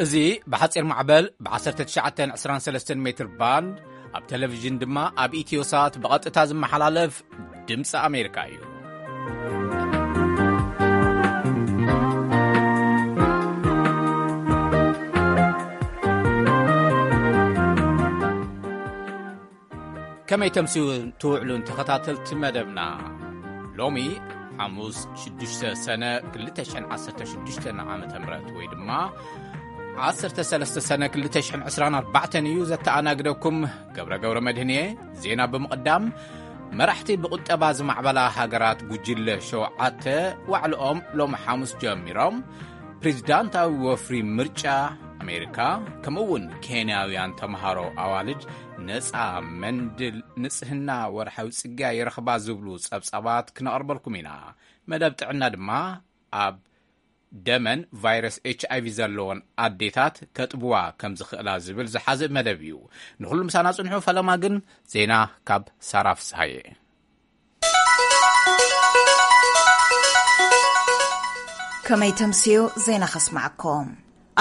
እዚ ብሓጺር ማዕበል ብ19 23 ሜትር ባንድ፣ ኣብ ቴሌቪዥን ድማ ኣብ ኢትዮሳት ብቐጥታ ዝመሓላለፍ ድምፂ ኣሜሪካ እዩ። ከመይ ተምስዩ ትውዕሉን ተኸታተልቲ መደብና? ሎሚ ሓሙስ ሽዱሽተ ሰነ ክልተ ሽሕን ዓሰርተ ሽዱሽተን ዓመተ ምህረት ወይ ድማ ዓሰርተ ሰለስተ ሰነ ክልተ ሽሕን ዕስራን ኣርባዕተን እዩ። ዘተኣናግደኩም ገብረ ገብረ መድህን እየ። ዜና ብምቕዳም፣ መራሕቲ ብቁጠባ ዝማዕበላ ሃገራት ጉጅለ ሸውዓተ ዋዕልኦም ሎም ሓሙስ ጀሚሮም። ፕሬዚዳንታዊ ወፍሪ ምርጫ ኣሜሪካ፣ ከምኡ እውን ኬንያውያን ተምሃሮ ኣዋልድ ነፃ መንድል ንጽህና ወርሓዊ ጽግያ ይረኽባ ዝብሉ ጸብጻባት ክነቕርበልኩም ኢና። መደብ ጥዕና ድማ ኣብ ደመን ቫይረስ ኤች ኣይ ቪ ዘለዎን ኣዴታት ከጥብዋ ከም ዝኽእላ ዝብል ዝሓዘ መደብ እዩ። ንኹሉ ምሳና ጽንሑ። ፈለማ ግን ዜና ካብ ሳራ ፍስሃየ። ከመይ ተምስዩ ዜና ከስማዕኩም።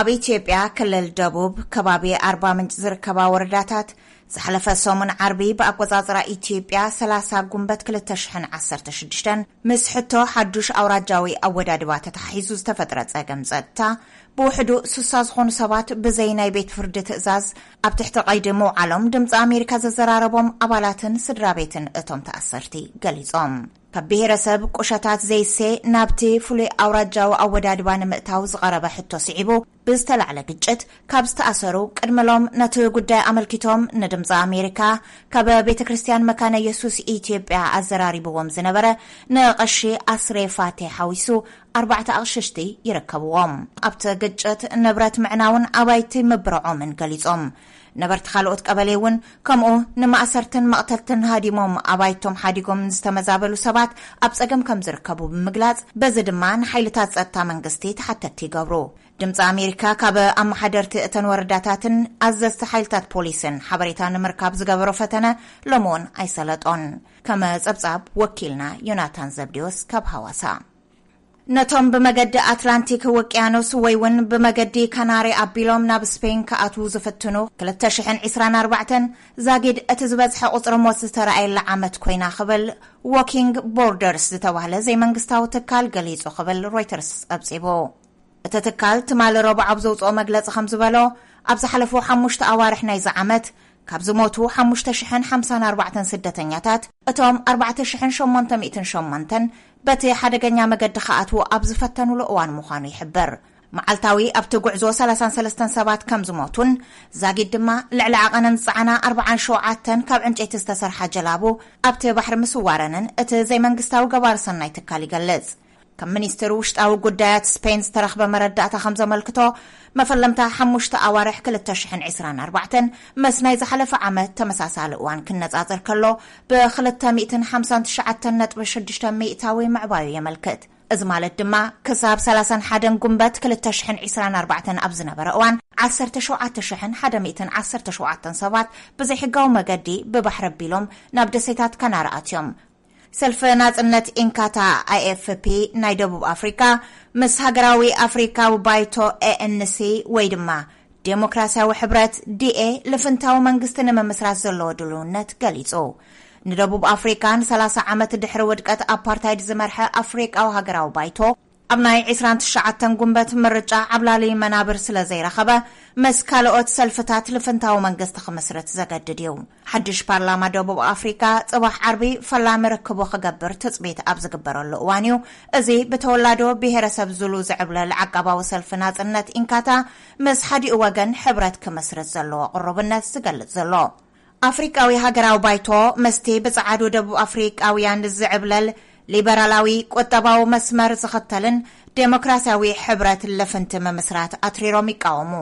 ኣብ ኢትዮጵያ ክልል ደቡብ ከባቢ ኣርባ ምንጭ ዝርከባ ወረዳታት ዝሓለፈ ሰሙን ዓርቢ ብኣቆጻጽራ ኢትዮጵያ ሰላሳ ጉንበት ክልተ ሽሕን ዓሰርተ ሽዱሽተን ምስ ሕቶ ሓዱሽ ኣውራጃዊ ኣወዳድባ ተተሓሒዙ ዝተፈጥረ ጸገም ጸጥታ ብውሕዱ ስሳ ዝኾኑ ሰባት ብዘይ ናይ ቤት ፍርዲ ትእዛዝ ኣብ ትሕቲ ቀይዲ ምውዓሎም ድምፂ ኣሜሪካ ዘዘራረቦም ኣባላትን ስድራ ቤትን እቶም ተኣሰርቲ ገሊጾም። ካብ ብሄረሰብ ቁሸታት ዘይሴ ናብቲ ፍሉይ ኣውራጃዊ ኣወዳድባ ንምእታው ዝቐረበ ሕቶ ስዒቡ ብዝተላዕለ ግጭት ካብ ዝተኣሰሩ ቅድሚ ሎም ነቲ ጉዳይ ኣመልኪቶም ንድምፂ ኣሜሪካ ካብ ቤተ ክርስቲያን መካነ የሱስ ኢትዮጵያ ኣዘራሪብዎም ዝነበረ ንቐሺ ኣስሬ ፋቴ ሓዊሱ ኣርባዕተ ኣቕሽሽቲ ይርከብዎም። ኣብቲ ግጭት ንብረት ምዕናውን ኣባይቲ ምብርዖምን ገሊጾም። ነበርቲ ካልኦት ቀበሌ እውን ከምኡ ንማእሰርትን መቕተልትን ሃዲሞም ኣባይቶም ሓዲጎም ዝተመዛበሉ ሰባት ኣብ ጸገም ከም ዝርከቡ ብምግላጽ፣ በዚ ድማ ንሓይልታት ጸጥታ መንግስቲ ተሓተትቲ ይገብሩ። ድምፂ ኣሜሪካ ካብ ኣመሓደርቲ እተን ወረዳታትን ኣዘዝቲ ሓይልታት ፖሊስን ሓበሬታ ንምርካብ ዝገበሮ ፈተነ ሎሚ እውን ኣይሰለጦን። ከመ ጸብጻብ ወኪልና ዮናታን ዘብዴዎስ ካብ ሃዋሳ። ነቶም ብመገዲ ኣትላንቲክ ውቅያኖስ ወይ እውን ብመገዲ ካናሪ ኣቢሎም ናብ ስፔን ክኣትዉ ዝፍትኑ ክልተ ሽሕን ዕስራን ኣርባዕተን ዛጊድ እቲ ዝበዝሐ ቁጽሪ ሞት ዝተረኣየላ ዓመት ኮይና ክብል ዎኪንግ ቦርደርስ ዝተባህለ ዘይመንግስታዊ ትካል ገሊጹ ክብል ሮይተርስ ጸብጺቡ። እቲ ትካል ትማሊ ረቡዕ ኣብ ዘውጽኦ መግለጺ ከም ዝበሎ፣ ኣብ ዝሓለፉ ሓሙሽተ ኣዋርሕ ናይዚ ዓመት ካብ ዝሞቱ ሓሙሽተ ሽሕን ሓምሳን ኣርባዕተን ስደተኛታት፣ እቶም ኣርባዕተ ሽሕን ሸሞንተ ሚእትን ሸሞንተን በቲ ሓደገኛ መገዲ ክኣትዉ ኣብ ዝፈተኑሉ እዋን ምዃኑ ይሕብር። መዓልታዊ ኣብቲ ጉዕዞ ሰላሳን ሰለስተን ሰባት ከም ዝሞቱን ዛጊድ ድማ ልዕሊ ዓቐነን ዝጸዓና ኣርባዓን ሸውዓተን ካብ ዕንጨይቲ ዝተሰርሓ ጀላቡ ኣብቲ ባሕሪ ምስዋረንን እቲ ዘይመንግስታዊ ገባሪ ሰናይ ትካል ይገልጽ። ካብ ሚኒስትሪ ውሽጣዊ ጉዳያት ስፔን ዝተረኽበ መረዳእታ ከም ዘመልክቶ፣ መፈለምታ ሓሙሽተ ኣዋርሕ ክልተ ሽሕን ዕስራን ኣርባዕተን ምስ ናይ ዝሓለፈ ዓመት ተመሳሳሊ እዋን ክነጻጸር ከሎ፣ ብክልተ ሚእትን ሓምሳን ትሽዓተን ነጥቢ ሽዱሽተ ሚእታዊ ምዕባዩ የመልክት። እዚ ማለት ድማ፣ ክሳብ ሰላሳን ሓደን ጉንበት ክልተ ሽሕን ዕስራን ኣርባዕተን ኣብ ዝነበረ እዋን፣ ዓሰርተ ሸውዓተ ሽሕን ሓደ ሚእትን ዓሰርተ ሸውዓተን ሰባት ብዘይሕጋዊ መገዲ ብባሕሪ ኣቢሎም ናብ ደሴታት ካናሪ ኣትዮም። ሰልፊ ናጽነት ኢንካታ፣ ኣይ ኤፍ ፒ፣ ናይ ደቡብ ኣፍሪካ፣ ምስ ሃገራዊ ኣፍሪካዊ ባይቶ፣ ኤ ኤን ሲ፣ ወይ ድማ ዴሞክራሲያዊ ሕብረት፣ ዲ ኤ፣ ልፍንታዊ መንግስቲ ንምምስራት ዘለዎ ድልውነት ገሊጹ። ንደቡብ ኣፍሪካ ንሰላሳ ዓመት ድሕሪ ውድቀት ኣፓርታይድ ዝመርሐ ኣፍሪቃዊ ሃገራዊ ባይቶ፣ ኣብ ናይ ዕስራን ትሽዓተን ጉንበት ምርጫ ዓብላሊ መናብር ስለ ዘይረኸበ፣ ምስ ካልኦት ሰልፍታት ልፍንታዊ መንግስቲ ክምስርት ዘገድድ እዩ። ሓድሽ ፓርላማ ደቡብ ኣፍሪካ ጽባሕ ዓርቢ ፈላሚ ርክቡ ክገብር ትጽቢት ኣብ ዝግበረሉ እዋን እዩ፣ እዚ ብተወላዶ ብሄረሰብ ዙሉ ዝዕብለል ዓቃባዊ ሰልፊ ናጽነት ኢንካታ ምስ ሓዲኡ ወገን ሕብረት ክመስርት ዘለዎ ቅሩብነት ዝገልጽ ዘሎ። ኣፍሪቃዊ ሃገራዊ ባይቶ፣ መስቲ ብጸዓዱ ደቡብ ኣፍሪቃውያን ዝዕብለል ሊበራላዊ ቁጠባዊ መስመር ዝኽተልን ዴሞክራሲያዊ ሕብረት ልፍንቲ ምምስራት ኣትሪሮም ይቃወሙ።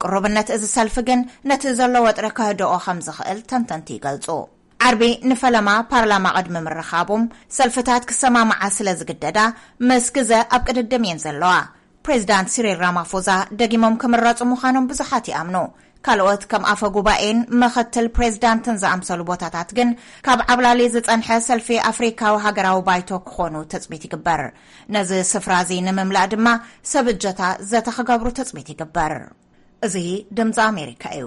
ቅሩብነት እዚ ሰልፊ ግን ነቲ ዘሎ ወጥሪ ከህድኦ ከም ዝኽእል ተንተንቲ ይገልጹ። ዓርቢ ንፈለማ ፓርላማ ቅድሚ ምርኻቦም፣ ሰልፍታት ክሰማምዓ ስለ ዝግደዳ፣ ምስ ግዘ ኣብ ቅድድም እየን ዘለዋ። ፕሬዚዳንት ሲሪል ራማፎዛ ደጊሞም ክምረጹ ምዃኖም ብዙሓት ይኣምኑ። ካልኦት ከም ኣፈ ጉባኤን ምኽትል ፕሬዚዳንትን ዝኣምሰሉ ቦታታት ግን ካብ ዓብላሊ ዝጸንሐ ሰልፊ ኣፍሪካዊ ሃገራዊ ባይቶ ክኾኑ ትጽቢት ይግበር። ነዚ ስፍራ እዚ ንምምላእ ድማ ሰብ እጀታ ዘተ ክገብሩ ትጽቢት ይግበር። እዚ ድምፂ ኣሜሪካ እዩ።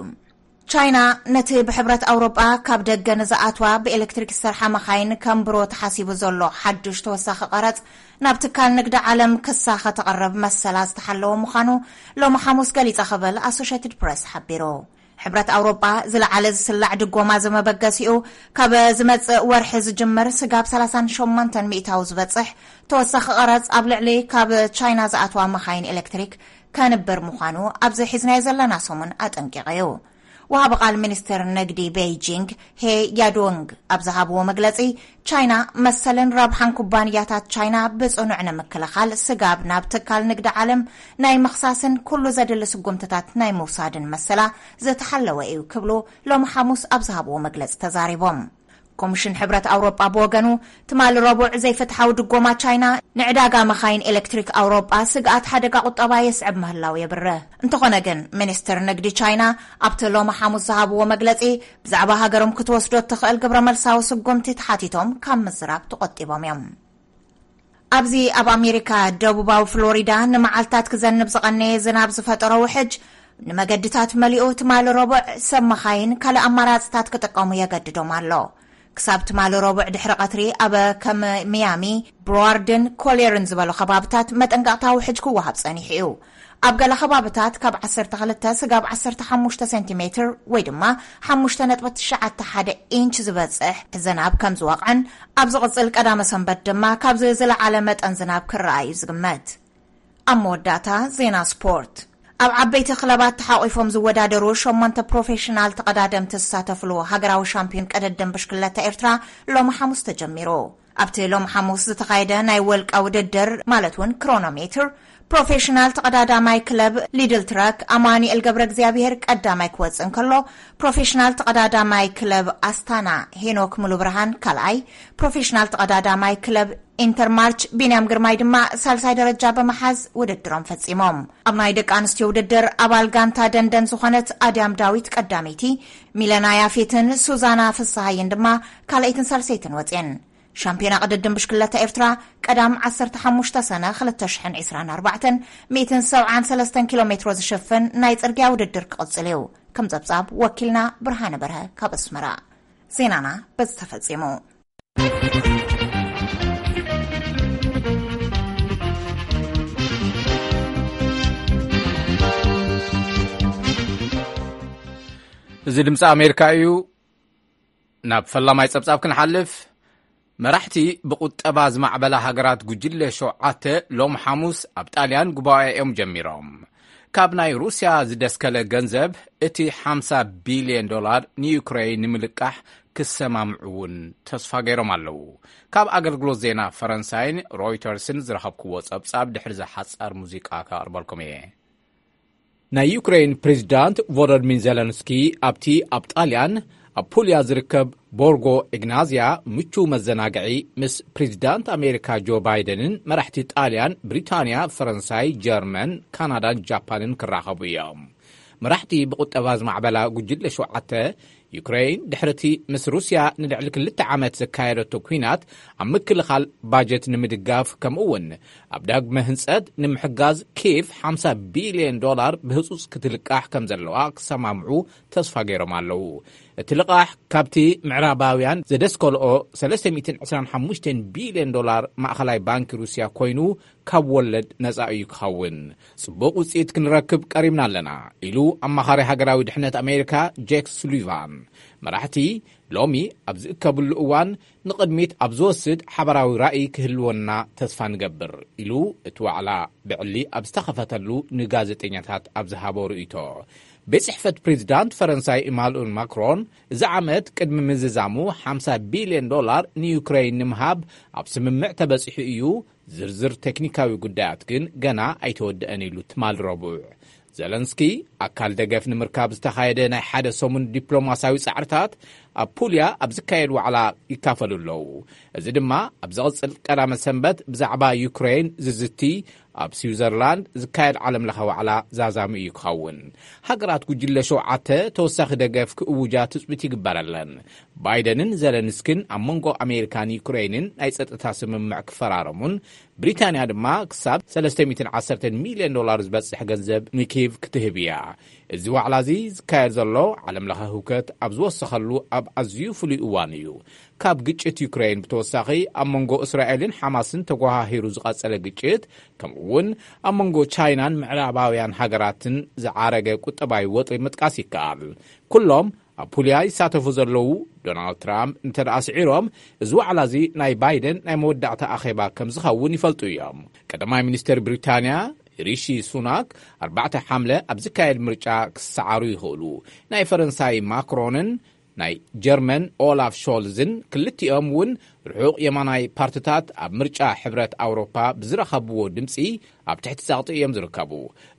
ቻይና ነቲ ብሕብረት ኣውሮጳ ካብ ደገ ንዝኣትዋ ብኤሌክትሪክ ዝሰርሓ መኻይን ከም ብሮ ተሓሲቡ ዘሎ ሓድሽ ተወሳኺ ቀረጽ ናብ ትካል ንግዲ ዓለም ክሳ ከተቕርብ መሰላ ዝተሓለወ ምዃኑ ሎሚ ሓሙስ ገሊጻ ክብል ኣሶሼትድ ፕረስ ሓቢሩ። ሕብረት ኣውሮጳ ዝለዓለ ዝስላዕ ድጎማ ዝመበገሲኡ ካብ ዝመጽእ ወርሒ ዝጅምር ስጋብ ሰላሳን ሸሞንተን ሚእታዊ ዝበጽሕ ተወሳኺ ቀረጽ ኣብ ልዕሊ ካብ ቻይና ዝኣትዋ መኻይን ኤሌክትሪክ ከንብር ምዃኑ ኣብዚ ሒዝናዮ ዘለና ሰሙን ኣጠንቂቑ እዩ። ወሃቢ ቃል ሚኒስትር ንግዲ ቤይጂንግ ሄ ያዶንግ ኣብ ዝሃብዎ መግለጺ፣ ቻይና መሰልን ረብሓን ኩባንያታት ቻይና ብጽኑዕ ንምክልኻል ስጋብ ናብ ትካል ንግዲ ዓለም ናይ ምኽሳስን ኩሉ ዘድሊ ስጉምትታት ናይ ምውሳድን መሰላ ዝተሓለወ እዩ ክብሉ ሎሚ ሓሙስ ኣብ ዝሃብዎ መግለጺ ተዛሪቦም። ኮሚሽን ሕብረት ኣውሮጳ ብወገኑ፣ ትማሊ ረቡዕ ዘይፍትሓዊ ድጎማ ቻይና ንዕዳጋ መኻይን ኤሌክትሪክ ኣውሮጳ ስግኣት ሓደጋ ቁጠባ የስዕብ ምህላው የብርህ። እንተኾነ ግን፣ ሚኒስትር ንግዲ ቻይና ኣብቲ ሎሚ ሓሙስ ዝሃብዎ መግለጺ፣ ብዛዕባ ሃገሮም ክትወስዶ እትኽእል ግብረ መልሳዊ ስጉምቲ ተሓቲቶም ካብ ምዝራብ ተቖጢቦም እዮም። ኣብዚ ኣብ ኣሜሪካ ደቡባዊ ፍሎሪዳ ንመዓልታት ክዘንብ ዝቐነየ ዝናብ ዝፈጠሮ ውሕጅ፣ ንመገድታት መሊኡ ትማሊ ረቡዕ ሰብ መኻይን ካልእ ኣማራጽታት ክጥቀሙ የገድዶም ኣሎ። ክሳብ ትማሊ ረቡዕ ድሕሪ ቀትሪ ኣብ ከም ሚያሚ፣ ብሮዋርድን ኮሌርን ዝበሉ ከባብታት መጠንቀቕታ ውሕጅ ክወሃብ ጸኒሑ እዩ። ኣብ ገለ ከባብታት ካብ ዓሰርተ ክልተ ስጋብ ዓሰርተ ሓሙሽተ ሴንቲሜትር ወይ ድማ ሓሙሽተ ነጥቢ ትሽዓተ ሓደ ኢንች ዝበጽሕ ዝናብ ከም ዝወቕዕን ኣብ ዝቕጽል ቀዳመ ሰንበት ድማ ካብዚ ዝለዓለ መጠን ዝናብ ክረኣ እዩ ዝግመት። ኣብ መወዳእታ ዜና ስፖርት። ኣብ ዓበይቲ ክለባት ተሓቒፎም ዝወዳደሩ ሸሞንተ ፕሮፌሽናል ተቐዳደምቲ ዝሳተፍሉ ሃገራዊ ሻምፒዮን ቅድድም ብሽክለታ ኤርትራ ሎሚ ሓሙስ ተጀሚሩ። ኣብቲ ሎም ሓሙስ ዝተኻየደ ናይ ወልቃ ውድድር፣ ማለት እውን ክሮኖሜትር፣ ፕሮፌሽናል ተቐዳዳማይ ክለብ ሊድል ትራክ ኣማኑኤል ገብረ እግዚኣብሔር ቀዳማይ ክወጽእ እንከሎ፣ ፕሮፌሽናል ተቐዳዳማይ ክለብ ኣስታና ሄኖክ ሙሉብርሃን ካልኣይ፣ ፕሮፌሽናል ተቐዳዳማይ ክለብ ኢንተርማርች ቢንያም ግርማይ ድማ ሳልሳይ ደረጃ ብምሓዝ ውድድሮም ፈጺሞም። ኣብ ናይ ደቂ ኣንስትዮ ውድድር ኣባል ጋንታ ደንደን ዝኾነት ኣድያም ዳዊት ቀዳመይቲ፣ ሚለና ያፌትን ሱዛና ፍስሃየን ድማ ካልኣይትን ሳልሰይትን ወጽየን። ሻምፒዮና ቅድድም ብሽክለታ ኤርትራ ቀዳም ዓሰርተ ሓሙሽተ ሰነ ክልተ ሽሕን ዕስራን ኣርባዕተን ሚእትን ሰብዓን ሰለስተን ኪሎ ሜትሮ ዝሽፍን ናይ ጽርግያ ውድድር ክቕጽል እዩ። ከም ጸብጻብ ወኪልና ብርሃነ በርሀ ካብ ኣስመራ። ዜናና በዚ ተፈጺሙ። እዚ ድምፂ ኣሜሪካ እዩ። ናብ ፈላማይ ጸብጻብ ክንሓልፍ፣ መራሕቲ ብቁጠባ ዝማዕበላ ሃገራት ጉጅለ ሸውዓተ ሎም ሓሙስ ኣብ ጣልያን ጉባኤኦም ጀሚሮም። ካብ ናይ ሩስያ ዝደስከለ ገንዘብ እቲ ሓምሳ ቢልዮን ዶላር ንዩክሬን ንምልቃሕ ክሰማምዑ እውን ተስፋ ገይሮም ኣለዉ። ካብ ኣገልግሎት ዜና ፈረንሳይን ሮይተርስን ዝረኸብክዎ ጸብጻብ ድሕሪ ዝሓጻር ሙዚቃ ከቕርበልኩም እየ። ናይ ዩክሬን ፕሬዚዳንት ቮሎዲሚር ዜለንስኪ ኣብቲ ኣብ ጣልያን ኣብ ፑልያ ዝርከብ ቦርጎ ኢግናዝያ ምቹው መዘናግዒ ምስ ፕሬዚዳንት ኣሜሪካ ጆ ባይደንን መራሕቲ ጣልያን፣ ብሪታንያ፣ ፈረንሳይ፣ ጀርመን፣ ካናዳን ጃፓንን ክራኸቡ እዮም። መራሕቲ ብቁጠባ ዝማዕበላ ጉጅለ ሸውዓተ፣ ዩክሬን ድሕሪ እቲ ምስ ሩስያ ንልዕሊ ክልተ ዓመት ዘካየደቶ ኲናት ኣብ ምክልኻል ባጀት ንምድጋፍ፣ ከምኡ እውን ኣብ ዳግመ ህንጸት ንምሕጋዝ ኪየቭ ሓምሳ ቢልዮን ዶላር ብህጹጽ ክትልቃሕ ከም ዘለዋ ክሰማምዑ ተስፋ ገይሮም ኣለዉ። እቲ ልቓሕ ካብቲ ምዕራባውያን ዘደስከልኦ ሰለስተ ሚእትን ዕስራን ሓሙሽተን ቢልዮን ዶላር ማእኸላይ ባንኪ ሩስያ ኮይኑ ካብ ወለድ ነጻ እዩ ክኸውን። ጽቡቕ ውጽኢት ክንረክብ ቀሪብና ኣለና ኢሉ ኣማኻሪ ሃገራዊ ድሕነት ኣሜሪካ ጄክ ሱሊቫን። መራሕቲ ሎሚ ኣብ ዝእከብሉ እዋን ንቕድሚት ኣብ ዝወስድ ሓባራዊ ራእይ ክህልወና ተስፋ ንገብር ኢሉ እቲ ዋዕላ ብዕሊ ኣብ ዝተኸፈተሉ ንጋዜጠኛታት ኣብ ዝሃቦ ርእይቶ። ቤት ጽሕፈት ፕሬዚዳንት ፈረንሳይ ኢማኑኤል ማክሮን እዚ ዓመት ቅድሚ ምዝዛሙ ሓምሳ ቢልዮን ዶላር ንዩክሬን ንምሃብ ኣብ ስምምዕ ተበጺሑ እዩ። ዝርዝር ቴክኒካዊ ጉዳያት ግን ገና ኣይተወደአን ኢሉ ትማል ረቡዕ። ዘለንስኪ ኣካል ደገፍ ንምርካብ ዝተኻየደ ናይ ሓደ ሰሙን ዲፕሎማሲያዊ ጻዕርታት ኣብ ፑልያ ኣብ ዝካየድ ዋዕላ ይካፈሉ ኣለዉ። እዚ ድማ ኣብ ዝቕጽል ቀዳመ ሰንበት ብዛዕባ ዩክሬን ዝዝቲ ኣብ ስዊዘርላንድ ዝካየድ ዓለምለኸ ዋዕላ ዛዛሚ እዩ ክኸውን። ሃገራት ጉጅለ ሸውዓተ ተወሳኺ ደገፍ ክእውጃ ትጽቢት ይግበረለን። ባይደንን ዘለንስኪን ኣብ መንጎ ኣሜሪካን ዩክሬንን ናይ ጸጥታ ስምምዕ ክፈራረሙን፣ ብሪታንያ ድማ ክሳብ ሰለስተ ሚእትን ዓሰርተን ሚልዮን ዶላር ዝበጽሕ ገንዘብ ንኪቭ ክትህብ እያ። እዚ ዋዕላ እዚ ዝካየድ ዘሎ፣ ዓለም ለኸ ህውከት ኣብ ዝወሰኸሉ ኣብ ኣዝዩ ፍሉይ እዋን እዩ። ካብ ግጭት ዩክሬን ብተወሳኺ፣ ኣብ መንጎ እስራኤልን ሓማስን ተጓሃሂሩ ዝቐጸለ ግጭት፣ ከምኡ እውን ኣብ መንጎ ቻይናን ምዕራባውያን ሃገራትን ዝዓረገ ቁጠባዊ ወጥሪ ምጥቃስ ይከኣል። ኩሎም ኣብ ፑልያ ይሳተፉ ዘለዉ፣ ዶናልድ ትራምፕ እንተ ደኣ ስዒሮም፣ እዚ ዋዕላ እዚ ናይ ባይደን ናይ መወዳእታ ኣኼባ ከም ዝኸውን ይፈልጡ እዮም። ቀዳማይ ሚኒስተር ብሪታንያ ሪሺ ሱናክ፣ ኣርባዕተ ሓምለ ኣብ ዝካየድ ምርጫ ክሰዓሩ ይኽእሉ። ናይ ፈረንሳይ ማክሮንን ናይ ጀርመን ኦላፍ ሾልዝን፣ ክልቲኦም እውን ርሑቕ የማናይ ፓርትታት፣ ኣብ ምርጫ ሕብረት ኣውሮፓ ብዝረኸብዎ ድምጺ ኣብ ትሕቲ ጸቕጢ እዮም ዝርከቡ።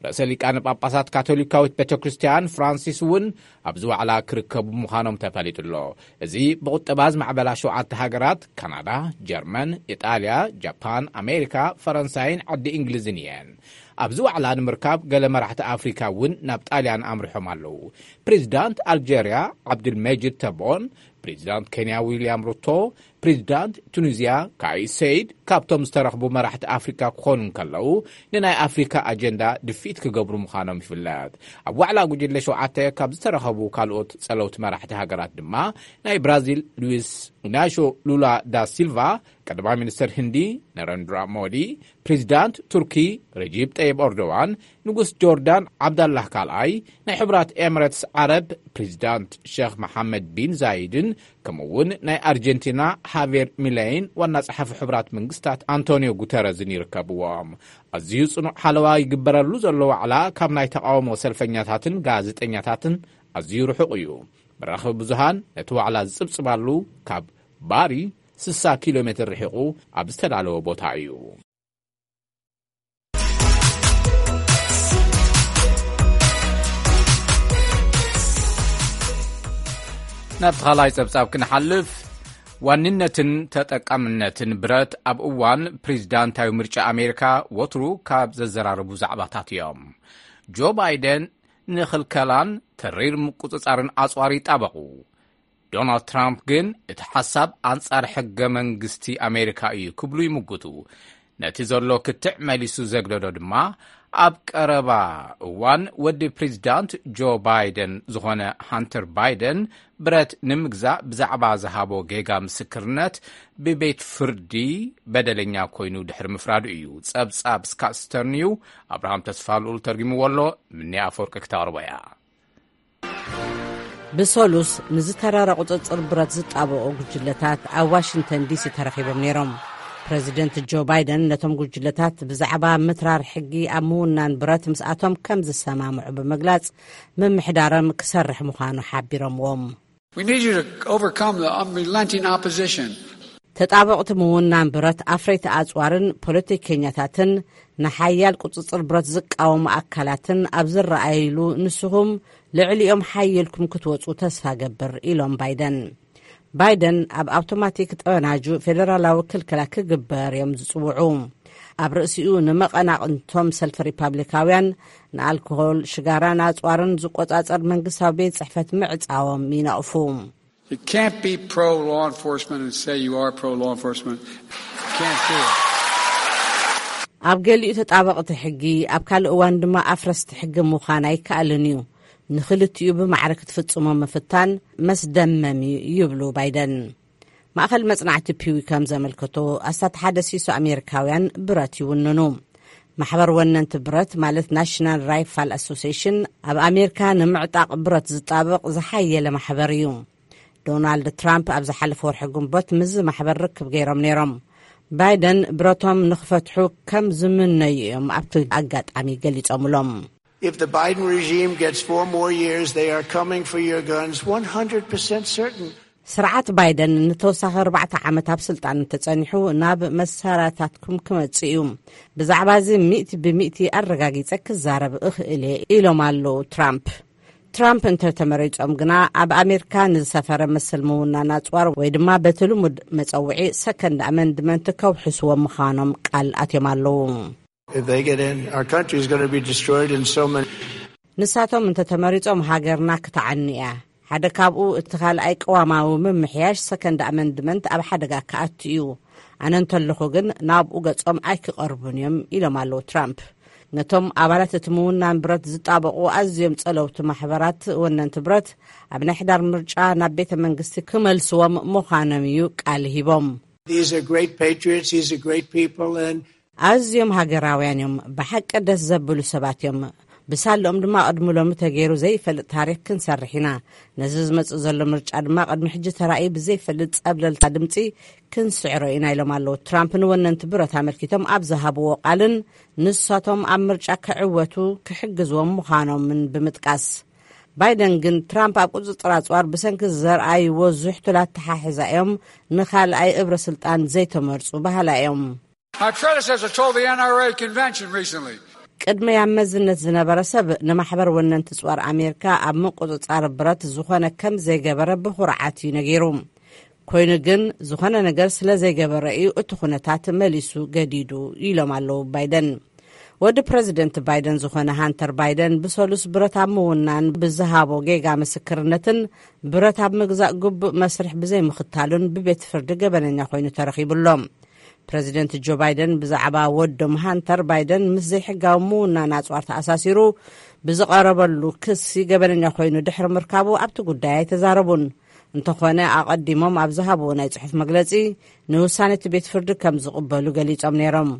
ርእሰ ሊቃነ ጳጳሳት ካቶሊካዊት ቤተ ክርስቲያን ፍራንሲስ እውን ኣብዚ ዋዕላ ክርከቡ ምዃኖም ተፈሊጡ ኣሎ። እዚ ብቁጠባ ዝማዕበላ ሸውዓተ ሃገራት፣ ካናዳ፣ ጀርመን፣ ኢጣልያ፣ ጃፓን፣ ኣሜሪካ፣ ፈረንሳይን ዓዲ እንግሊዝን እየን። ኣብዚ ዋዕላ ንምርካብ፣ ገለ መራሕቲ ኣፍሪካ እውን ናብ ጣልያን ኣምሪሖም ኣለዉ። ፕሬዚዳንት ኣልጀርያ ዓብዱልመጂድ ተቦን፣ ፕሬዚዳንት ኬንያ ዊልያም ሩቶ፣ ፕሬዚዳንት ቱኒዝያ ካይስ ሰይድ ካብቶም ዝተረኽቡ መራሕቲ ኣፍሪካ ክኾኑ እንከለዉ፣ ንናይ ኣፍሪካ ኣጀንዳ ድፍኢት ክገብሩ ምዃኖም ይፍለጥ። ኣብ ዋዕላ ጉጅለ ሸውዓተ ካብ ዝተረኸቡ ካልኦት ጸለውቲ መራሕቲ ሃገራት ድማ፣ ናይ ብራዚል ሉዊስ ኢናሾ ሉላ ዳ ሲልቫ፣ ቀዳማይ ሚኒስተር ህንዲ ነረንድራ ሞዲ፣ ፕሬዚዳንት ቱርኪ ረጂብ ጠይብ ኤርዶዋን፣ ንጉስ ጆርዳን ዓብዳላህ ካልኣይ፣ ናይ ሕቡራት ኤምሬትስ ዓረብ ፕሬዚዳንት ሸኽ መሓመድ ቢን ዛይድን፣ ከምኡ እውን ናይ ኣርጀንቲና ሃቬር ሚሌይን ዋና ጸሓፊ ሕቡራት መንግስታት ኣንቶኒዮ ጉተረዝን ይርከብዎም። ኣዝዩ ጽኑዕ ሓለዋ ይግበረሉ ዘሎ ዋዕላ፣ ካብ ናይ ተቓውሞ ሰልፈኛታትን ጋዜጠኛታትን ኣዝዩ ርሑቕ እዩ። መራኸቢ ብዙሃን ነቲ ዋዕላ ዝጽብጽባሉ፣ ካብ ባሪ ስሳ ኪሎ ሜትር ርሒቑ ኣብ ዝተዳለወ ቦታ እዩ። ናብቲ ካልኣይ ጸብጻብ ክንሓልፍ፣ ዋንነትን ተጠቃምነትን ብረት ኣብ እዋን ፕሬዚዳንታዊ ምርጫ ኣሜሪካ ወትሩ ካብ ዘዘራርቡ ዛዕባታት እዮም። ጆ ባይደን ንኽልከላን ተሪር ምቁጽጻርን ኣጽዋር ይጣበቑ። ዶናልድ ትራምፕ ግን እቲ ሓሳብ ኣንጻር ሕገ መንግስቲ ኣሜሪካ እዩ ክብሉ ይምጉቱ። ነቲ ዘሎ ክትዕ መሊሱ ዘግደዶ ድማ፣ ኣብ ቀረባ እዋን ወዲ ፕሬዚዳንት ጆ ባይደን ዝኾነ ሃንተር ባይደን፣ ብረት ንምግዛእ ብዛዕባ ዝሃቦ ጌጋ ምስክርነት ብቤት ፍርዲ በደለኛ ኮይኑ ድሕሪ ምፍራዱ እዩ። ጸብጻብ ስካት ስተርን እዩ። ኣብርሃም ተስፋልኡል ተርጊምዎ ኣሎ። ምኒ ኣፈወርቂ ክተቕርቦ እያ። ብሰሉስ ንዝተረረ ቁጽጽር ብረት ዝጣበቑ ጉጅለታት ኣብ ዋሽንግተን ዲሲ ተረኺቦም ነይሮም። ፕረዚደንት ጆ ባይደን ነቶም ጉጅለታት ብዛዕባ ምትራር ሕጊ ኣብ ምውናን ብረት ምስኣቶም ከም ዝሰማምዑ ብምግላጽ፣ ምምሕዳሮም ክሰርሕ ምዃኑ ሓቢሮምዎም። We need you to overcome the unrelenting opposition. ተጣበቕቲ ምውናን ብረት ኣፍረይቲ ኣጽዋርን ፖለቲከኛታትን ንሓያል ቁጽጽር ብረት ዝቃወሙ ኣካላትን ኣብ ዝረኣይሉ፣ ንስኹም ልዕሊኦም ሓይልኩም ክትወጹ ተስፋ ገብር፣ ኢሎም ባይደን። ባይደን ኣብ ኣውቶማቲክ ጠበናጁ ፌደራላዊ ክልከላ ክግበር እዮም ዝጽውዑ። ኣብ ርእሲኡ ንመቐናቕንቶም ሰልፊ ሪፓብሊካውያን ንኣልኮሆል፣ ሽጋራን ኣጽዋርን ዝቆጻጸር መንግስታዊ ቤት ጽሕፈት ምዕጻዎም ይነቕፉ። You can't be pro law enforcement and say you are pro law enforcement. You can't do it. ኣብ ገሊኡ ተጣበቕቲ ሕጊ፣ ኣብ ካልእ እዋን ድማ ኣፍረስቲ ሕጊ ምዃን ኣይከኣልን እዩ። ንኽልቲኡ ብማዕረ ክትፍጽሞ ምፍታን መስደመም እዩ፣ ይብሉ ባይደን። ማእኸል መጽናዕቲ ፒዊ ከም ዘመልከቶ፣ ኣስታት ሓደ ሲሶ ኣሜሪካውያን ብረት ይውንኑ። ማሕበር ወነንቲ ብረት፣ ማለት ናሽናል ራይፋል ኣሶሲሽን፣ ኣብ ኣሜሪካ ንምዕጣቕ ብረት ዝጣበቕ ዝሓየለ ማሕበር እዩ። ዶናልድ ትራምፕ ኣብ ዝሓለፈ ወርሒ ግንቦት ምስዚ ማሕበር ርክብ ገይሮም ነይሮም። ባይደን ብረቶም ንኽፈትሑ ከም ዝምነዩ እዮም ኣብቲ ኣጋጣሚ ገሊጾምሎም። If the Biden regime gets four more years, they are coming for your guns, one hundred percent certain. ስርዓት ባይደን ንተወሳኺ ኣርባዕተ ዓመት ኣብ ስልጣን እንተጸኒሑ፣ ናብ መሳርያታትኩም ክመጽእ እዩ። ብዛዕባ እዚ ሚእቲ ብሚእቲ ኣረጋጊጸ ክዛረብ እኽእል እየ፣ ኢሎም ኣለዉ ትራምፕ። ትራምፕ እንተተመሪጾም ግና፣ ኣብ ኣሜሪካ ንዝሰፈረ መሰል ምውናን ኣጽዋር፣ ወይ ድማ በቲ ልሙድ መጸውዒ ሰከንድ ኣመንድመንት፣ ከውሕስዎ ምዃኖም ቃል ኣትዮም ኣለዉ። If they get in, our country is gonna be destroyed in so many. ንሳቶም እንተተመሪጾም፣ ሃገርና ክትዓኒ እያ። ሓደ ካብኡ፣ እቲ ካልኣይ ቅዋማዊ ምምሕያሽ ሰከንድ ኣመንድመንት ኣብ ሓደጋ ክኣቱ እዩ። ኣነ እንተለኹ ግን፣ ናብኡ ገጾም ኣይክቐርቡን እዮም፣ ኢሎም ኣለዉ ትራምፕ። ነቶም ኣባላት እቲ ምውናን ብረት ዝጣበቑ ኣዝዮም ጸለውቲ ማሕበራት ወነንቲ ብረት ኣብ ናይ ሕዳር ምርጫ ናብ ቤተ መንግስቲ ክመልስዎም ምዃኖም እዩ ቃል ሂቦም። These are great patriots, these are great people, and ኣዝዮም ሃገራውያን እዮም። ብሓቂ ደስ ዘብሉ ሰባት እዮም። ብሳልኦም ድማ ቅድሚ ሎሚ ተገይሩ ዘይፈልጥ ታሪክ ክንሰርሕ ኢና። ነዚ ዝመጽእ ዘሎ ምርጫ ድማ ቅድሚ ሕጂ ተራእዩ ብዘይፈልጥ ጸብለልታ ድምጺ ክንስዕሮ ኢና ኢሎም ኣለዉ። ትራምፕ ንወነንቲ ብረት ኣመልኪቶም ኣብ ዝሃብዎ ቃልን ንሳቶም ኣብ ምርጫ ክዕወቱ ክሕግዝዎም ምዃኖምን ብምጥቃስ፣ ባይደን ግን ትራምፕ ኣብ ቁጽጽር ኣጽዋር ብሰንኪ ዘርኣይዎ ዝሕቱል ኣተሓሕዛ እዮም ንኻልኣይ እብረ ስልጣን ዘይተመርጹ በሃላ እዮም። My predecessor told the N R A convention recently. ቅድመይ ኣብ መዝነት ዝነበረ ሰብ ንማሕበር ወነንቲ ጽዋር ኣሜሪካ ኣብ ምቁጽጻር ብረት ዝኾነ ከም ዘይገበረ ብኹርዓት እዩ ነጊሩ። ኮይኑ ግን ዝኾነ ነገር ስለ ዘይገበረ እዩ እቲ ኩነታት መሊሱ ገዲዱ ኢሎም ኣለዉ ባይደን። ወዲ ፕረዚደንት ባይደን ዝኾነ ሃንተር ባይደን ብሰሉስ ብረት ኣብ ምውናን ብዝሃቦ ጌጋ ምስክርነትን ብረት ኣብ ምግዛእ ግቡእ መስርሕ ብዘይምኽታሉን ብቤት ፍርዲ ገበነኛ ኮይኑ ተረኺቡ ኣሎ። ፕረዚደንት ጆ ባይደን ብዛዕባ ወዶም ሃንተር ባይደን ምስ ዘይሕጋዊ ምውናን ኣጽዋር ተኣሳሲሩ ብዝቐረበሉ ክሲ ገበነኛ ኮይኑ ድሕሪ ምርካቡ ኣብቲ ጉዳይ ኣይተዛረቡን። እንተኾነ ኣቐዲሞም ኣብ ዝሃብዎ ናይ ጽሑፍ መግለጺ ንውሳነ እቲ ቤት ፍርዲ ከም ዝቕበሉ ገሊጾም ነይሮም።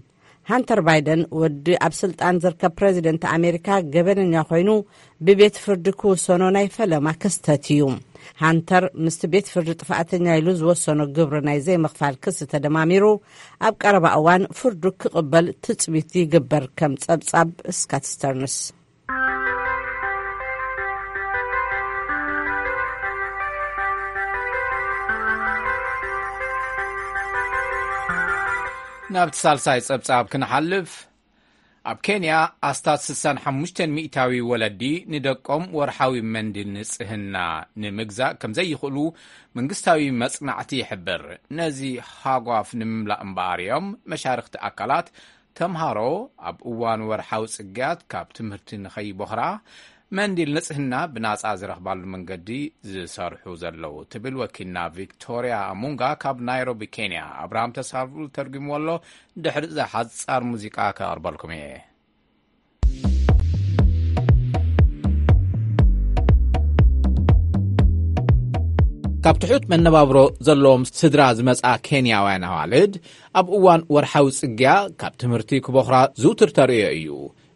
ሃንተር ባይደን ወዲ ኣብ ስልጣን ዝርከብ ፕረዚደንት ኣሜሪካ ገበነኛ ኮይኑ ብቤት ፍርዲ ክውሰኖ ናይ ፈለማ ክስተት እዩ። ሃንተር ምስቲ ቤት ፍርዲ ጥፋኣተኛ ኢሉ ዝወሰኖ ግብሪ ናይ ዘይምኽፋል ክሲ ተደማሚሩ ኣብ ቀረባ እዋን ፍርዱ ክቕበል ትጽቢት ይግበር ከም ጸብጻብ ስካት ስተርንስ። ናብቲ ሳልሳይ ጸብጻብ ክንሓልፍ፣ ኣብ ኬንያ ኣስታት ስሳን ሓሙሽተን ሚእታዊ ወለዲ ንደቆም ወርሓዊ መንድል ንጽህና ንምግዛእ ከም ዘይኽእሉ መንግስታዊ መጽናዕቲ ይሕብር። ነዚ ሃጓፍ ንምምላእ እምበኣር እዮም መሻርኽቲ ኣካላት ተምሃሮ ኣብ እዋን ወርሓዊ ጽግያት ካብ ትምህርቲ ንኸይቦኽራ መንዲል ንጽህና ብናጻ ዝረኽባሉ መንገዲ ዝሰርሑ ዘለዉ ትብል ወኪልና ቪክቶርያ ሙንጋ ካብ ናይሮቢ ኬንያ። ኣብርሃም ተስፋሉ ተርጉምዎ ኣሎ። ድሕሪ እዛ ሓጻር ሙዚቃ ከቕርበልኩም እየ። ካብ ትሑት መነባብሮ ዘለዎም ስድራ ዝመጻ ኬንያውያን ኣዋልድ ኣብ እዋን ወርሓዊ ጽግያ ካብ ትምህርቲ ክቦኽራ ዝውትር ተርእዮ እዩ።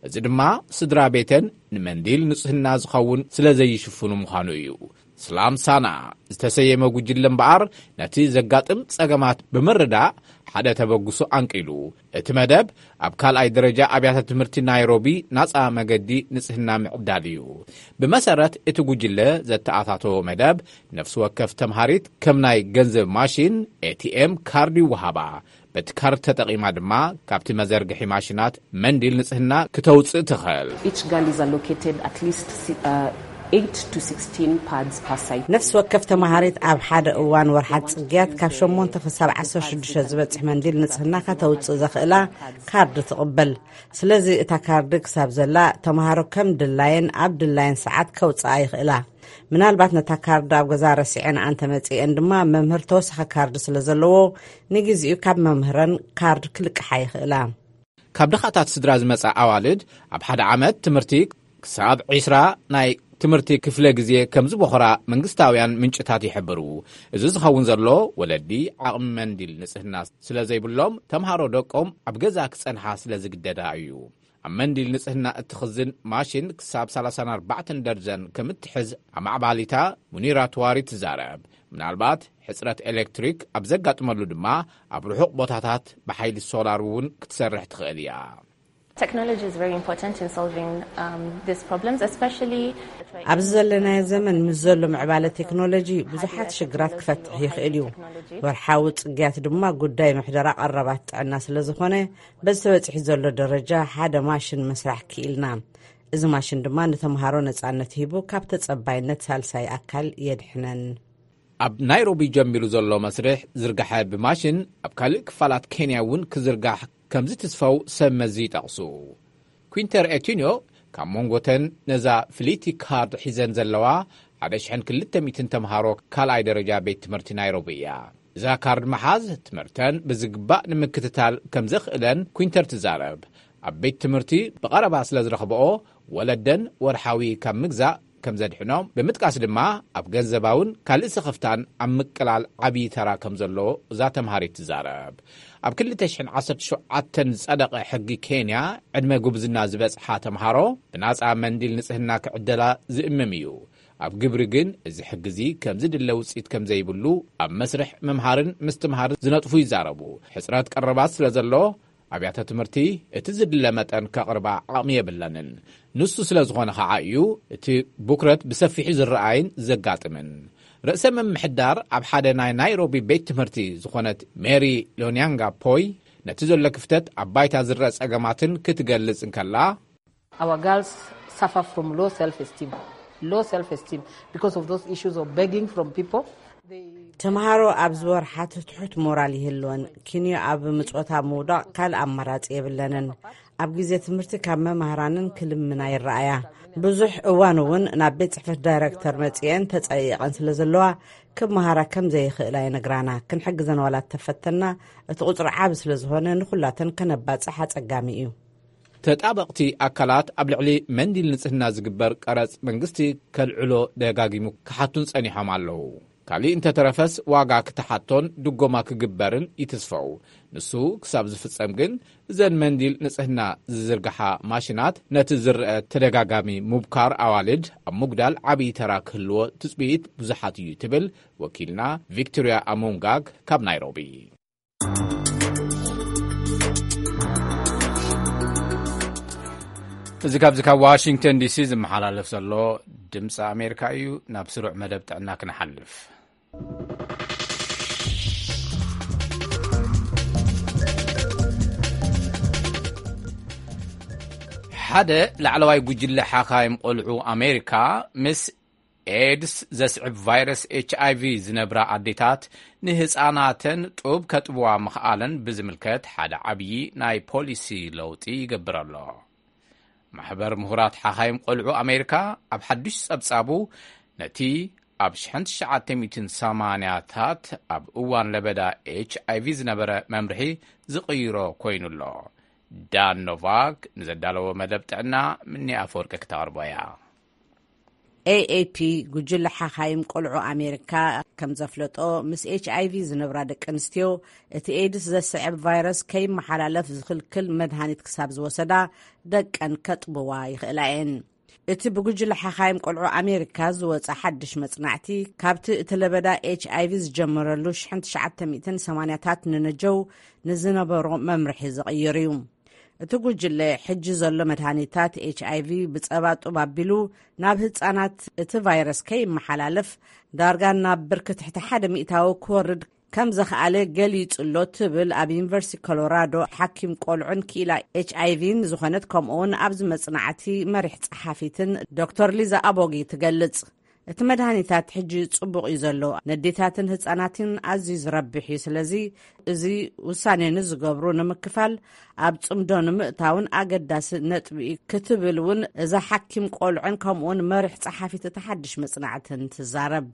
እዚ ድማ ስድራ ቤተን ንመንዲል ንጽህና ዝኸውን ስለ ዘይሽፍኑ ምዃኑ እዩ። ስላም ሳና ዝተሰየመ ጉጅለ እምበኣር ነቲ ዘጋጥም ጸገማት ብምርዳእ ሓደ ተበግሶ ኣንቂሉ። እቲ መደብ ኣብ ካልኣይ ደረጃ ኣብያተ ትምህርቲ ናይሮቢ ናጻ መገዲ ንጽህና ምዕዳል እዩ። ብመሰረት እቲ ጉጅለ ዘተኣታተዎ መደብ፣ ነፍሲ ወከፍ ተምሃሪት ከም ናይ ገንዘብ ማሽን፣ ኤቲኤም፣ ካርድ ይወሃባ። በቲ ካርድ ተጠቒማ ድማ ካብቲ መዘርግሒ ማሽናት መንዲል ንጽህና ክተውጽእ ትኽእል። Each girl is allocated at least si- uh, eight to sixteen pads per cycle. ነፍሲ ወከፍ ተምሃሪት ኣብ ሓደ እዋን ወርሓት ጽግያት ካብ ሸሞንተ ክሳብ ዓሰርተ ሽዱሽተ ዝበጽሕ መንዲል ንጽህና ከተውጽእ ዘኽእላ ካርድ ትቕበል። ስለዚ እታ ካርድ ክሳብ ዘላ ተምሃሮ ከም ድላየን ኣብ ድላየን ሰዓት ከውጽኣ ይኽእላ። ምናልባት ነታ ካርድ ኣብ ገዛ ረሲዐን ኣንተ መጺኤን ድማ መምህር ተወሳኺ ካርድ ስለ ዘለዎ ንግዜኡ ካብ መምህረን ካርድ ክልቅሓ ይኽእላ። ካብ ድኻታት ስድራ ዝመጻ ኣዋልድ ኣብ ሓደ ዓመት ትምህርቲ ክሳብ ዒስራ ናይ ትምህርቲ ክፍለ ግዜ ከም ዝቦኽራ መንግስታውያን ምንጭታት ይሕብሩ። እዚ ዝኸውን ዘሎ ወለዲ ዓቕሚ መንዲል ንጽህና ስለ ዘይብሎም ተምሃሮ ደቆም ኣብ ገዛ ክጸንሓ ስለ ዝግደዳ እዩ። ኣብ መንዲል ንጽህና እትኽዝን ማሽን ክሳብ ሰላሳን ኣርባዕተን ደርዘን ከም እትሕዝ ኣማዕባሊታ ሙኒራ ትዋሪ ትዛረብ። ምናልባት ሕጽረት ኤሌክትሪክ ኣብ ዘጋጥመሉ ድማ ኣብ ርሑቕ ቦታታት ብሓይሊ ሶላር እውን ክትሰርሕ ትኽእል እያ። Technology is very important in solving um, these problems, especially ኣብዚ ዘለናዮ ዘመን ምስ ዘሎ ምዕባለ ቴክኖሎጂ ብዙሓት ሽግራት ክፈትሕ ይኽእል እዩ። ወርሓዊ ጽግያት ድማ ጉዳይ ምሕደራ ቀረባት ጥዕና ስለ ዝኾነ በዚ ተበጺሑ ዘሎ ደረጃ ሓደ ማሽን ምስራሕ ክኢልና። እዚ ማሽን ድማ ንተምሃሮ ነጻነት ሂቡ ካብ ተጸባይነት ሳልሳይ ኣካል የድሕነን። ኣብ ናይሮቢ ጀሚሩ ዘሎ መስርሕ ዝርግሐ ብማሽን ኣብ ካልእ ክፋላት ኬንያ እውን ክዝርጋሕ ከም ዝትስፈው ሰብ መዚ ይጠቕሱ። ኩንተር ኤቲንዮ ካብ መንጎተን ነዛ ፍልይቲ ካርድ ሒዘን ዘለዋ ሓደ ሽሕን ክልተ ሚእትን ተምሃሮ ካልኣይ ደረጃ ቤት ትምህርቲ ናይሮቢ እያ። እዛ ካርድ መሓዝ ትምህርተን ብዝግባእ ንምክትታል ከም ዘኽእለን ኩንተር ትዛረብ። ኣብ ቤት ትምህርቲ ብቐረባ ስለ ዝረኽብኦ፣ ወለደን ወርሓዊ ካብ ምግዛእ ከም ዘድሕኖም ብምጥቃስ ድማ፣ ኣብ ገንዘባውን ካልእ ስኽፍታን ኣብ ምቅላል ዓብዪ ተራ ከም ዘለዎ እዛ ተምሃሪት ትዛረብ። ኣብ ክልተ ሽሕን ዓሰርተ ሸውዓተን ዝጸደቐ ሕጊ ኬንያ፣ ዕድመ ጉብዝና ዝበጽሓ ተምሃሮ ብናጻ መንዲል ንጽህና ክዕደላ ዝእምም እዩ። ኣብ ግብሪ ግን እዚ ሕጊ እዚ ከም ዝድለ ውጽኢት ከም ዘይብሉ ኣብ መስርሕ ምምሃርን ምስትምሃርን ዝነጥፉ ይዛረቡ። ሕጽረት ቀረባት ስለ ዘሎ፣ ኣብያተ ትምህርቲ እቲ ዝድለ መጠን ከቕርባ ዓቕሚ የብለንን። ንሱ ስለ ዝኾነ ኸዓ እዩ እቲ ብኩረት ብሰፊሑ ዝረኣይን ዘጋጥምን። ርእሰ ምምሕዳር ኣብ ሓደ ናይ ናይሮቢ ቤት ትምህርቲ ዝኾነት ሜሪ ሎኒያንጋ ፖይ፣ ነቲ ዘሎ ክፍተት ኣብ ባይታ ዝረአ ጸገማትን ክትገልጽ እንከላ፣ Our girls suffer from low self-esteem. Low self-esteem because of those issues of begging from people. They ተምሃሮ ኣብ ዝወርሓት ትሑት ሞራል ይህልወን፣ ኪንዮ ኣብ ምጽወታ ምውዳቕ ካልእ ኣማራጺ የብለንን። ኣብ ግዜ ትምህርቲ ካብ መማህራንን ክልምና ይረኣያ። ብዙሕ እዋን እውን ናብ ቤት ጽሕፈት ዳይረክተር መጺኤን ተጸይቐን ስለ ዘለዋ፣ ክመሃራ ከም ዘይኽእላ ይነግራና። ክንሕግዘን ዋላ ተፈተና፣ እቲ ቁጽሪ ዓቢ ስለ ዝኾነ ንኹላተን ከነባጽሕ ኣጸጋሚ እዩ። ተጣበቕቲ ኣካላት ኣብ ልዕሊ መንዲል ንጽህና ዝግበር ቀረጽ መንግስቲ ከልዕሎ ደጋጊሙ ክሓቱን ጸኒሖም ኣለዉ። ካሊእ እንተተረፈስ ዋጋ ክትሓቶን ድጎማ ክግበርን ይትስፈው። ንሱ ክሳብ ዝፍጸም ግን እዘን መንዲል ንጽህና ዝዝርግሓ ማሽናት ነቲ ዝረአ ተደጋጋሚ ምብካር ኣዋልድ ኣብ ምጉዳል ዓብዪ ተራ ክህልዎ ትጽቢት ብዙሓት እዩ ትብል ወኪልና ቪክቶርያ ኣሞንጋግ ካብ ናይሮቢ። እዚ ካብዚ ካብ ዋሽንግተን ዲሲ ዝመሓላለፍ ዘሎ ድምፂ ኣሜሪካ እዩ። ናብ ስሩዕ መደብ ጥዕና ክንሓልፍ። ሓደ ላዕለዋይ ጉጅለ ሓኻይም ቆልዑ ኣሜሪካ፣ ምስ ኤድስ ዘስዕብ ቫይረስ ኤች ኣይ ቪ ዝነብራ ኣዴታት ንህፃናተን ጡብ ከጥብዋ ምኽኣለን ብዝምልከት ሓደ ዓብዪ ናይ ፖሊሲ ለውጢ ይገብር ኣሎ። ማሕበር ምሁራት ሓኻይም ቆልዑ ኣሜሪካ ኣብ ሓዱሽ ጸብጻቡ፣ ነቲ ኣብ ሽሕን ትሽዓተ ሚእትን ሰማንያታት ኣብ እዋን ለበዳ ኤች ኣይ ቪ ዝነበረ መምርሒ ዝቕይሮ ኮይኑ ኣሎ። ዳን ኖቫክ ንዘዳለዎ መደብ ጥዕና፣ ምኒ ኣፈወርቂ ክተቕርቦ እያ። ኤ ኤ ፒ፣ ጉጅለ ሓኻይም ቆልዑ ኣሜሪካ፣ ከም ዘፍለጦ፣ ምስ ኤች ኣይ ቪ ዝነብራ ደቂ ኣንስትዮ፣ እቲ ኤድስ ዘስዕብ ቫይረስ ከይመሓላለፍ ዝኽልክል መድሃኒት ክሳብ ዝወሰዳ፣ ደቀን ከጥብዋ ይኽእላ እየን። እቲ ብጉጅለ ሓኻይም ቆልዑ ኣሜሪካ ዝወጸ ሓድሽ መጽናዕቲ፣ ካብቲ እቲ ለበዳ ኤች ኣይ ቪ ዝጀመረሉ ሽሕን ትሽዓተ ሚእትን ሰማንያታት ንነጀው ንዝነበሮ መምርሒ ዝቕይር እዩ። እቲ ጉጅለ፣ ሕጂ ዘሎ መድሃኒታት ኤች ኣይ ቪ ብጸባ ጡብ ኣቢሉ ናብ ህጻናት እቲ ቫይረስ ከይመሓላለፍ፣ ዳርጋ ናብ ብርኪ ትሕቲ ሓደ ሚእታዊ ክወርድ ከም ዘኽኣለ ገሊጹ ኣሎ ትብል ኣብ ዩኒቨርሲቲ ኮሎራዶ ሓኪም ቆልዑን ክኢላ ኤች ኣይ ቪን ዝኾነት፣ ከምኡውን ኣብዚ መጽናዕቲ መሪሕ ጸሓፊትን ዶክተር ሊዛ ኣቦጊ ትገልጽ። እቲ መድሃኒታት ሕጂ ጽቡቕ እዩ ዘሎ፣ ነዴታትን ህጻናትን ኣዝዩ ዝረብሕ እዩ። ስለዚ እዚ ውሳኔ ንዝገብሩ ንምክፋል፣ ኣብ ጽምዶ ንምእታውን ኣገዳሲ ነጥቢ እዩ ክትብል እውን እዛ ሓኪም ቆልዑን ከምኡውን መሪሕ ጸሓፊት እቲ ሓድሽ መጽናዕትን ትዛረብ።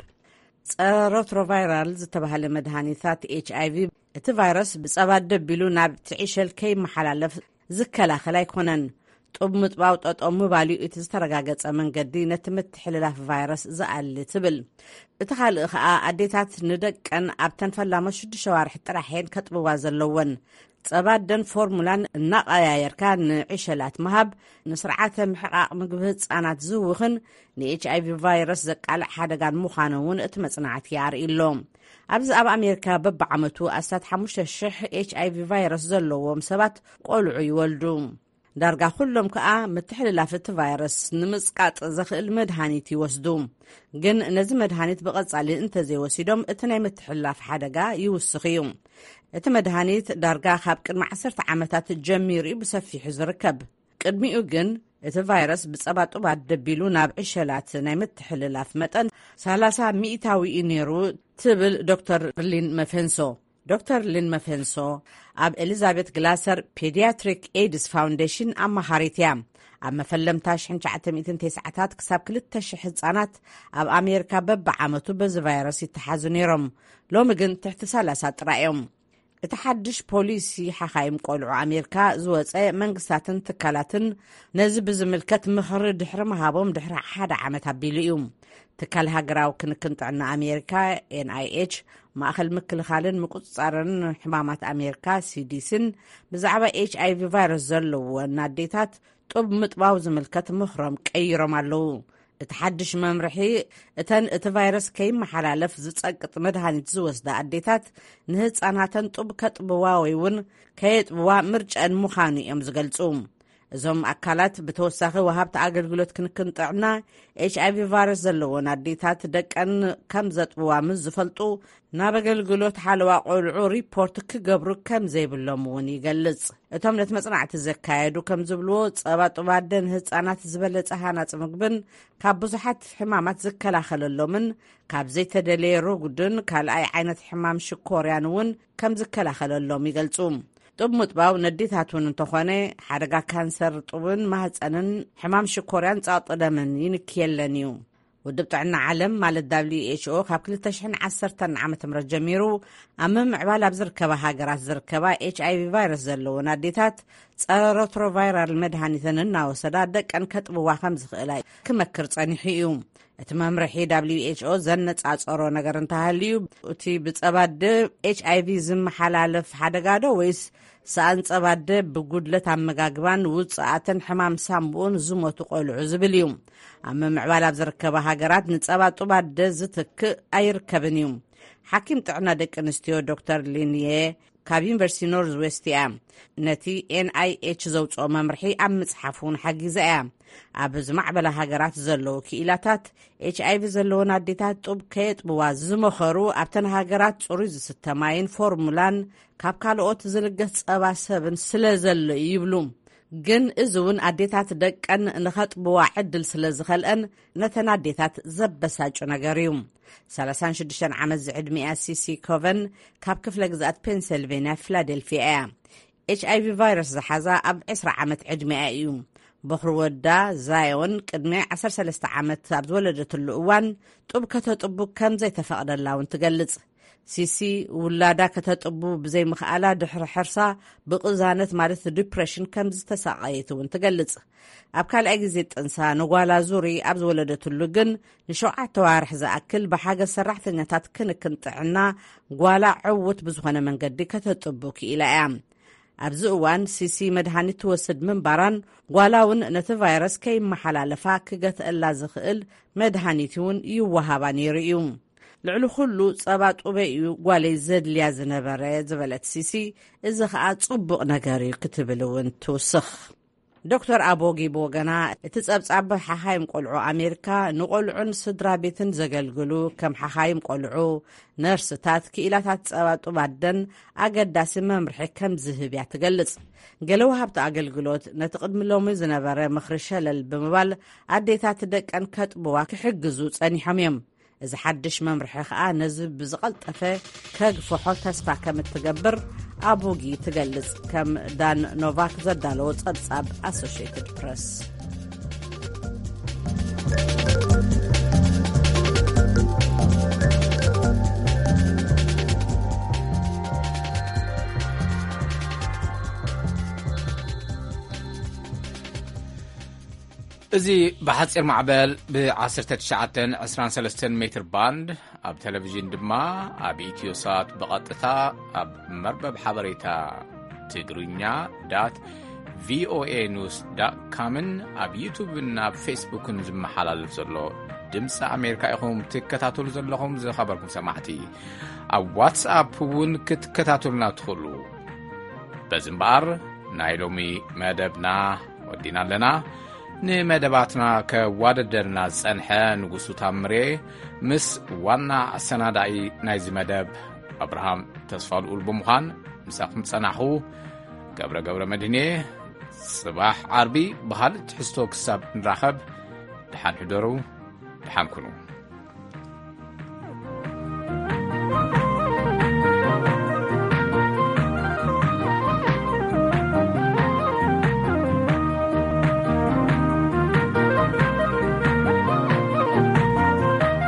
ጸረ ሮትሮቫይራል ዝተባህለ መድሃኒታት ኤች ኣይ ቪ፣ እቲ ቫይረስ ብጸባ ደቢሉ ናብ ትዒሸል ከይመሓላለፍ ዝከላኸል ኣይኮነን። ጡብ ምጥባው ጠጠው ምባል እዩ እቲ ዝተረጋገጸ መንገዲ ነቲ ምትሕልላፍ ቫይረስ ዝኣሊ ትብል። እቲ ካልእ ኸኣ፣ ኣዴታት ንደቀን ኣብተን ፈላሞት ሽዱሽተ ኣዋርሕ ጥራሕ እየን ከጥብዋ ዘለወን። ጸባ ኣደን ፎርሙላን እናቐያየርካ ንዕሸላት ምሃብ፣ ንስርዓተ ምሕቓቕ ምግቢ ህጻናት ዝህውኽን ንኤች ኣይ ቪ ቫይረስ ዘቃልዕ ሓደጋን ምዃኑ እውን እቲ መጽናዕቲ ኣርእዩ ኣሎ። ኣብዚ ኣብ ኣሜሪካ በብዓመቱ ኣስታት ሓሙሽተ ሽሕ ኤች ኣይ ቪ ቫይረስ ዘለዎም ሰባት ቆልዑ ይወልዱ። ዳርጋ ኩሎም ከኣ ምትሕልላፍ እቲ ቫይረስ ንምጽቃጥ ዘኽእል መድሃኒት ይወስዱ። ግን ነዚ መድሃኒት ብቐጻሊ እንተዘይወሲዶም፣ እቲ ናይ ምትሕልላፍ ሓደጋ ይውስኽ እዩ። እቲ መድሃኒት ዳርጋ ካብ ቅድሚ ዓሰርተ ዓመታት ጀሚሩ እዩ ብሰፊሑ ዝርከብ። ቅድሚኡ ግን እቲ ቫይረስ ብጸባ ጡባት ደቢሉ ናብ ዕሸላት ናይ ምትሕልላፍ መጠን ሰላሳ ሚእታዊ እዩ ነይሩ ትብል ዶክተር ሊን መፈንሶ። ዶክተር ሊን መፈንሶ ኣብ ኤሊዛቤት ግላሰር ፔዲያትሪክ ኤድስ ፋውንዴሽን ኣማኻሪት እያ። ኣብ መፈለምታ ሽሕን ትሽዓተ ሚእትን ተስዓታት ክሳብ ክልተ ሽሕ ህጻናት ኣብ ኣሜሪካ በብዓመቱ በዚ ቫይረስ ይተሓዙ ነይሮም። ሎሚ ግን ትሕቲ ሰላሳ ጥራይ እዮም። እቲ ሓድሽ ፖሊሲ ሓኻይም ቆልዑ ኣሜሪካ ዝወፀ መንግስታትን ትካላትን ነዚ ብዝምልከት ምኽሪ ድሕሪ ምሃቦም ድሕሪ ሓደ ዓመት ኣቢሉ እዩ። ትካል ሃገራዊ ክንክን ጥዕና ኣሜሪካ፣ ኤንኣይኤች፣ ማእኸል ምክልኻልን ምቁፅፃርን ሕማማት ኣሜሪካ፣ ሲዲሲን፣ ብዛዕባ ኤች ኣይቪ ቫይረስ ዘለወን ኣዴታት ጡብ ምጥባው ዝምልከት ምኽሮም ቀይሮም ኣለዉ። እቲ ሓድሽ መምርሒ፣ እተን እቲ ቫይረስ ከይመሓላለፍ ዝጸቅጥ መድሃኒት ዝወስዳ ኣዴታት ንህጻናተን ጡብ ከጥብዋ ወይ እውን ከየጥብዋ ምርጫን ምዃኑ እዮም ዝገልጹ። እዞም ኣካላት ብተወሳኺ ወሃብቲ ኣገልግሎት ክንክን ጥዕና ኤች ኣይቪ ቫይረስ ዘለዎን ኣዴታት ደቀን ከም ዘጥብዋ ምስ ዝፈልጡ፣ ናብ ኣገልግሎት ሓለዋ ቆልዑ ሪፖርት ክገብሩ ከም ዘይብሎም እውን ይገልጽ። እቶም ነቲ መጽናዕቲ ዘካየዱ ከም ዝብልዎ፣ ጸባ ጡብ ኣደ ንህጻናት ዝበለጸ ሃናጽ ምግብን ካብ ብዙሓት ሕማማት ዝከላኸለሎምን ካብ ዘይተደለየ ርጉድን ካልኣይ ዓይነት ሕማም ሽኮርያን እውን ከም ዝከላኸለሎም ይገልጹ። ጡብ ምጥባው ነዴታት እውን እንተኾነ፣ ሓደጋ ካንሰር ጡብን ማህፀንን ሕማም ሽኮርያን ጸቕጢ ደምን ይንክየለን እዩ። ውድብ ጥዕና ዓለም ማለት ደብሊው ኤች ኦ ካብ ክልተ ሽሕን ዓሰርተን ዓመተ ምህረት ጀሚሩ ኣብ ምምዕባል ኣብ ዝርከባ ሃገራት ዝርከባ ኤች ኣይ ቪ ቫይረስ ዘለወን ኣዴታት ጸረ ሮትሮቫይራል መድሃኒተን እናወሰዳ ደቀን ከጥብዋ ከም ዝኽእላ ክመክር ጸኒሑ እዩ። እቲ መምርሒ ደብሊው ኤች ኦ ዘነጻጸሮ ነገር እንተሃልዩ፣ እቲ ብጸባ ኣደ ኤች ኣይ ቪ ዝመሓላለፍ ሓደጋ ዶ ወይስ ሰኣን ጸባ ኣደ ብጉድለት ኣመጋግባን ውጽኣትን ሕማም ሳምቡኡን ዝሞቱ ቆልዑ ዝብል እዩ። ኣብ ምምዕባል ኣብ ዝርከባ ሃገራት ንጸባ ጡብ ኣደ ዝትክእ ኣይርከብን እዩ። ሓኪም ጥዕና ደቂ ኣንስትዮ ዶክተር ሊንየ ካብ ዩኒቨርሲቲ ኖርዝ ዌስት እያ። ነቲ ኤን ኣይ ኤች ዘውጽኦ መምርሒ ኣብ ምጽሓፍ እውን ሓጊዛ እያ። ኣብ ዝማዕበላ ሃገራት ዘለዉ ክኢላታት ኤች ኣይ ቪ ዘለወን ኣዴታት ጡብ ከየጥብዋ ዝመኸሩ ኣብተን ሃገራት ጽሩይ ዝስተ ማይን ፎርሙላን ካብ ካልኦት ዝልገስ ጸባ ሰብን ስለ ዘሎ እዩ ይብሉ። ግን እዚ እውን ኣዴታት ደቀን ንኸጥብዋ ዕድል ስለ ዝኸልአን ነተን ኣዴታት ዘበሳጩ ነገር እዩ። ሰላሳን ሽዱሽተን ዓመት ዝዕድሚኣ ሲሲ ኮቨን ካብ ክፍለ ግዝኣት ፔንሰልቬንያ ፊላደልፊያ እያ። ኤች ኣይ ቪ ቫይረስ ዝሓዛ ኣብ ዕስራ ዓመት ዕድሚኣ እዩ። በኹሪ ወዳ ዛዮን ቅድሚ ዓሰርተ ሰለስተ ዓመት ኣብ ዝወለደትሉ እዋን ጡብ ከተጥቡ ከም ዘይተፈቕደላ እውን ትገልጽ። ሲሲ ውላዳ ከተጥቡ ብዘይምኽኣላ ድሕሪ ሕርሳ ብቕዛነት ማለት ዲፕሬሽን ከም ዝተሳቐየት እውን ትገልጽ። ኣብ ካልኣይ ግዜ ጥንሳ ንጓላ ዙሪ ኣብ ዝወለደትሉ ግን ንሸውዓተ ዋርሕ ዝኣክል ብሓገዝ ሰራሕተኛታት ክንክን ጥዕና ጓላ ዕውት ብዝኾነ መንገዲ ከተጥቡ ክኢላ እያ። ኣብዚ እዋን ሲሲ መድሃኒት ትወስድ ምንባራን ጓላ እውን ነቲ ቫይረስ ከይመሓላለፋ ክገትአላ ዝኽእል መድሃኒት እውን ይወሃባ ነይሩ እዩ። ልዕሊ ኩሉ ጸባ ጡበይ እዩ ጓለይ ዘድልያ ዝነበረ ዝበለት ሲሲ፣ እዚ ኸኣ ጽቡቕ ነገር እዩ ክትብል እውን ትውስኽ። ዶክተር ኣቦጊ ብወገና፣ እቲ ጸብጻብ ሓኻይም ቆልዑ ኣሜሪካ ንቆልዑን ስድራ ቤትን ዘገልግሉ ከም ሓኻይም ቆልዑ፣ ነርስታት፣ ክኢላታት ጸባ ጡብ ኣደን ኣገዳሲ መምርሒ ከም ዝህብ እያ ትገልጽ። ገለ ወሃብቲ ኣገልግሎት ነቲ ቅድሚ ሎሚ ዝነበረ ምኽሪ ሸለል ብምባል ኣዴታት ደቀን ከጥብዋ ክሕግዙ ጸኒሖም እዮም። እዚ ሓድሽ መምርሒ ኸኣ ነዚ ብዝቐልጠፈ ከግፍሖ ተስፋ ከም እትገብር ኣቡጊ ትገልጽ፣ ከም ዳን ኖቫክ ዘዳለዎ ጸብጻብ ኣሶሽየትድ ፕረስ። እዚ ብሓጺር ማዕበል ብ ዓሰርተ ትሽዓተን ዕስራን ሰለስተን ሜትር ባንድ፣ ኣብ ቴሌቪዥን ድማ ኣብ ኢትዮ ሳት ብቐጥታ ኣብ መርበብ ሓበሬታ ትግርኛ ዳት ቪኦኤ ኒውስ ዳት ካምን ኣብ ዩቱብን ኣብ ፌስቡክን ዝመሓላለፍ ዘሎ ድምፂ ኣሜሪካ ኢኹም ትከታተሉ ዘለኹም። ዝኸበርኩም ሰማዕቲ፣ ኣብ ዋትስኣፕ እውን ክትከታተሉና ትኽእሉ። በዚ እምበኣር ናይ ሎሚ መደብና ወዲና ኣለና። ንመደባትና ከዋደደልና ዝጸንሐ ንጉሱ ታምሬ ምስ ዋና ኣሰናዳኢ ናይዚ መደብ ኣብርሃም ተስፋልኡል ብምዃን ምሳኹም ጸናሕኹ። ገብረ ገብረ መድህኔ፣ ጽባሕ ዓርቢ ብኻልእ ትሕዝቶ ክሳብ ንራኸብ፣ ደሓን ሕደሩ፣ ደሓን ኩኑ።